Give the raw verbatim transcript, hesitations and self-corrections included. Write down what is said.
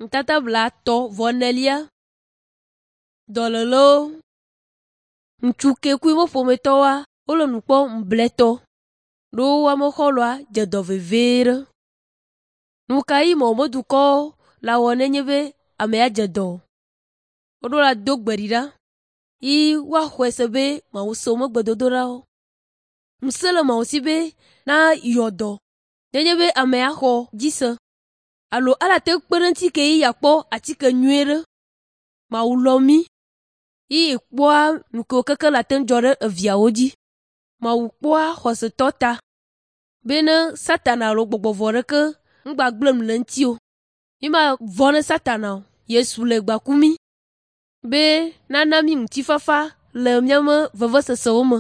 Nutata blaetɔ̃ vɔ enelia. Dɔlélewo. Ŋutsu ke ku eƒe ƒometɔwoa, wole nu kpɔm ŋubletɔ ɖo woame xɔlɔ̃a dze dɔ vevie ɖe. Nu ka yi me wobe dukɔwo la wɔ nenye be amea dze dɔ? Woɖo la do gbe ɖi ɖa yi woaxɔe se be Mawu se woƒe gbedodoɖawo. Ŋusẽ le Mawu si be na yɔ dɔ nenye be amea xɔ dzi se alo ala te kpe ɖe eŋuti ke yi yeakpɔ atike nyuie ɖe. Mawu lɔ̃ mí yi kpɔa nu kewo keke le ate ŋu dzɔ ɖe eviawo dzi. Mawu kpɔa xɔsetɔ ta bene Satana alo gbɔgbɔ vɔ̃ ɖeke ŋgbagblẽ nu le eŋuti o. Mímavɔ̃ ne Satana o. Yesu le gba ku mí be nana mí ŋutifafa le míaƒe vevesesewo me.